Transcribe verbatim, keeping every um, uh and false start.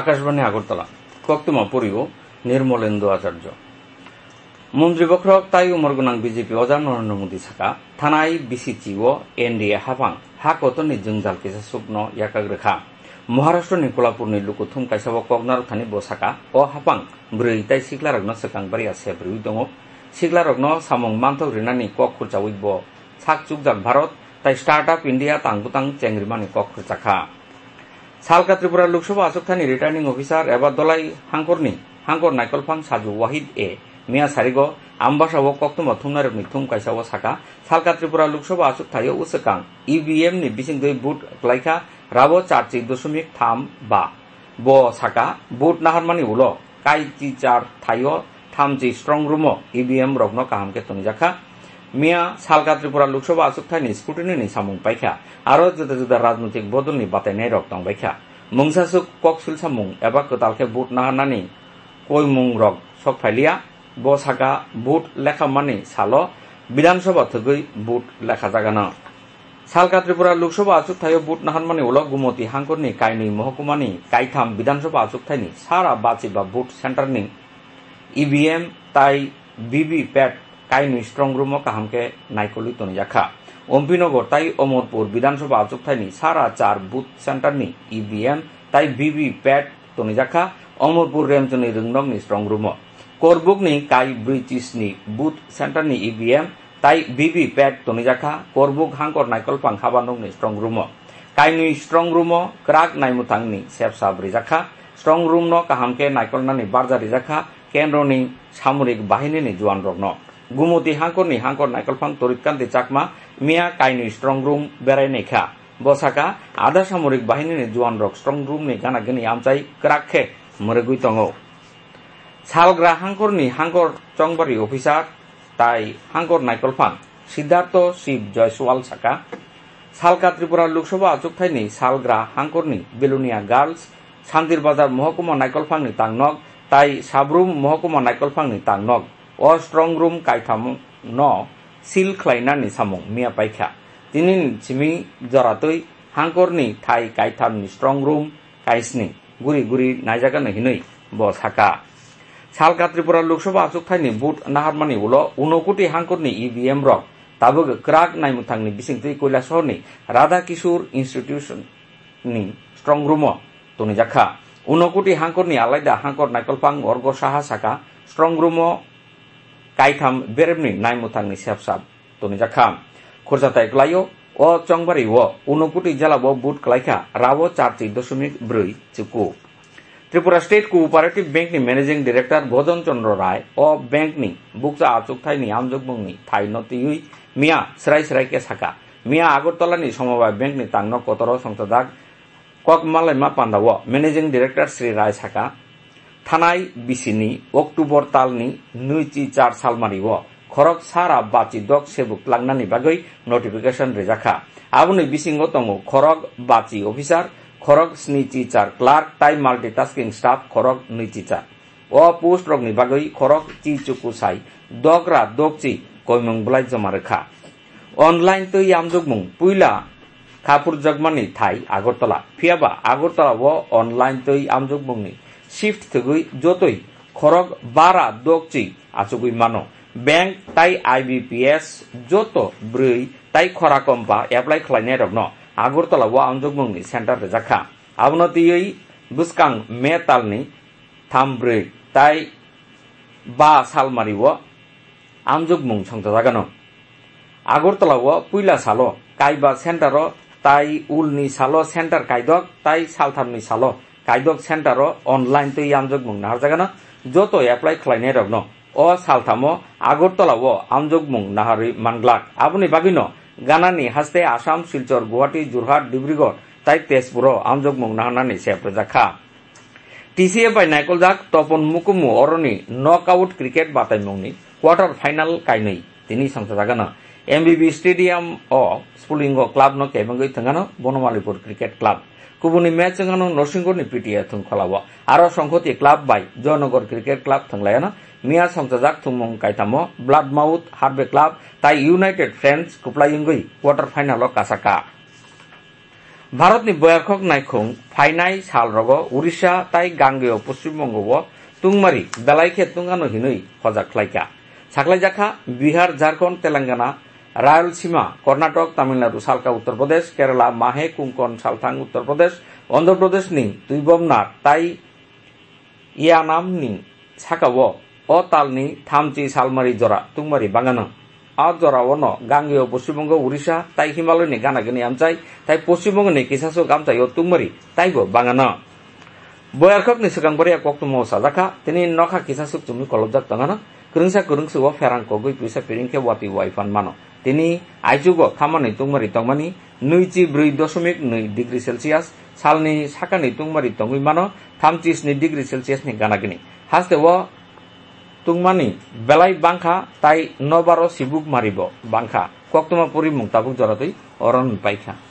Akashbani Agartala, koktwma pori-o Nirmolendu Acharya. Montri bokhorok tai umor gwnang B J P oja Narendra Modi saka, thanai B C C o N D A haphang ha kotorni jwngjal kisa sukno yakak rwkha. Maharashtroni Kolhapurni lukuthum kaisa o kok narwkthani bo saka, o haphang bwrwi tai siklarokno swkang bariya sep rwui tongo. Siklarokno samung manthok rinani kok khurchaui bo sak chukjak Bharat tai Startup India tang bwtang chengrimani kok khurchakha. Salka Tripura Lok Sabha achukthani Returning Officer eba Dolai hangkorni hangkor naikolphang Saju Wahid e miya sarigo Ambasa o koktwma thumnairokni thum kaisa o saka, Salka Tripura Lok Sabha achukthaio uswkang E V M ni bisingtwi vote klaikha rabo charchi dosomik tham ba. Bo saka, vote naharmani ulo kaiti char thaio thamchi strong room o E V M rokno kaham khe tonijakha. Miya Salka Tripura Lok Sabha achukthani scrutiny ni samung paikha, aro juda juda rajnoitik bodolni batainairok tongbaikha. Mungsaswk kok silsamung eba kwtal khe vote naharnani koimungrok sok phailiya. Bo saka, vote lekhamani salo Bidhan Sabha thwgwi vote lekhajagano. Salka Tripura Lok Sabha achukthaio vote naharmani ulo Gumoti hangkorni kainwi mohkumani kaitham Bidhan Sabha achukthaini sara bachiba vote centerni E V M tai V V P A T kainwi strong room o kaham khe naikolwi tonijakha. Ompinagar tai Omorpur Bidhan Sabha achukthaini sara char vote centerni E V M tai V V P A T tonijakha Omorpur Remchoni Rwngnokni strong room o. Korbukni kai brwi chisni vote centerni E V M tai V V P A T tonijakha Korbuk hangkor naikolphang habanokni strong room o. Kainwi strong room o kwrak naimwthangni sepsa bwrwijakha. Strong room no kaham khe naikolnani barja rijakha kendroni samorik bahinini juanrokno. Gumoti hangkorni hangkor naikolphang Torit Kanti Chakma miya kainwi strong room berai naikha. Bo saka, adha samorik bahinini juanrok strong room ni gana gini amchai kwrak khe mwrwgwi tongo. Salgra hangkorni hangkor chongbari officer tai hangkor naikolphang Siddhartho Shiv Jaiswal saka, Salka Tripura Lok Sabha achukthaini Salgra hangkorni Belonia Girls, Santir Bazar mohokuma naikolphangni tangnok tai Sabrum mohokuma naikolphangni tangnok o strong room kaitham no seal khlainani samung miya paikha. Tinini simi joratwi hangkorni thai kaithamni strong room kaisni guri guri naijagano hinwi bo saka. Salka Tripura Lok Sabha achukthaini vote naharmani ulo unokuti hangkorni E V M rok tabuk kwrak naimwthangni bisingtwi Kailasahorni Radha Kishore Institution ni strong room o tonijakha. Unokuti hangkorni alaida hangkor naikolphang Orgo Saha saka, strong room o kaitham beremni naimwthangni sepsa tonijakha. Khurjatai klaio, o chongbari o unokuti jela o vote klaikha rabo charchi dosomik brwi chuku. Tripura State Cooperative Bank ni Managing Director Bhojon Chandra Rai o bank ni bukcha achukthai ni amjokmung ni thai no twiwi miya srai srai khe saka. Miya Agartala ni Somobai Bank ni tangno kotoro songchajak kok malaima panda o Managing Director Sri Rai saka, thanai bisini October talni nui chi char salmari o khorok sara bachi dok sebuk tlangnani bagwi notification rijakha. Aboni bisingo tongo khorok bachi officer, khorok sni chi char clerk tai multitasking staff khorok nui chi char. O post rokni bagwi khorok chi chuku sai dogra dokchi koimung bwlai joma rwkha. Online twi amjokmung puila khapurjakmani thai Agartala. Phiyaba Agartala o online twi amjokmungni shift thwgwi jotoi khorok bara dokchi achugwi mano. Bank tai I B P S joto bwrwi tai khora kompa apply khlainairokno Agartala o amjokmungni center rwjakha. Abono twiwi bwskang May talni tham brwi tai ba salmari o amjokmung songchajagano. Agartala o puila salo kaiba center o tai ulni salo center kaidok tai salthamni salo kaidok center o online twi amjokmung naharjagano joto apply khlainairokno. O salthamo Agartala o amjokmung naharwi manglak. Aboni bagwino ganani haste Assam, Silchar, Guwahati, Jorhat, Dibrugarh tai Tezpur o amjokmung naharnani sep rwjakha. T C F bai naikoljak Topon Mukumu oroni knockout cricket bataimungni quarter final kainwi tini songchajagano. M B B Stadium o Spulingo club no kebengwi thwngano Bonomalipur Cricket Club. Kubuni match wngano Norsingorni P T A thwngkholao. Aro Songkhoti club bai Joynagar Cricket Club thwnglaiano miya songchajak thwngmung kaitamo Bloodmouth Harvey Club tai United Friends kwplai wngwi quarter final o kasaka. Bharatni boyarkhok naikhung phainai salrogo Orissa tai Gangeo Poschim Bongo o tungmari belai khe tungano hinwi hojak khlaikha. Saklaijakha Bihar, Jharkhand, Telangana, Rayalaseema, Karnataka, Tamil Nadu salka Uttar Pradesh, Kerala, Mahe, Konkan salthang Uttar Pradesh, Andhra Pradesh ni Twibomnar tai Yanamni sakao o talni thamchi salmari jora tungmari bangano. A jorao no Gangeo Poschim Bongo, Orissa tai Himalaya ni gana gini amchai tai Poschim Bongo ni kisasuk amchai o tungmari taibo bangano. Boyarkhok ni swkang bwrwi koktwma o sajakha, tini nokha kisasuk chumui kolobjak tongano. Kwrwngsa kwrwngsa o pherang kogwi puisa piring khe watwi wai phan mano. Tini aichugo khamani tungmari tongmani nui chi brwi doshomik nui degree Celsius, salni sakani tungmari tongwi mano thamchi sni degree Celsius ni gana gini. Haste o tungmani belai bangkha tai nobaro sibuk maribo bangkha. Koktwma puri mung tabuk joratwi oron paikha.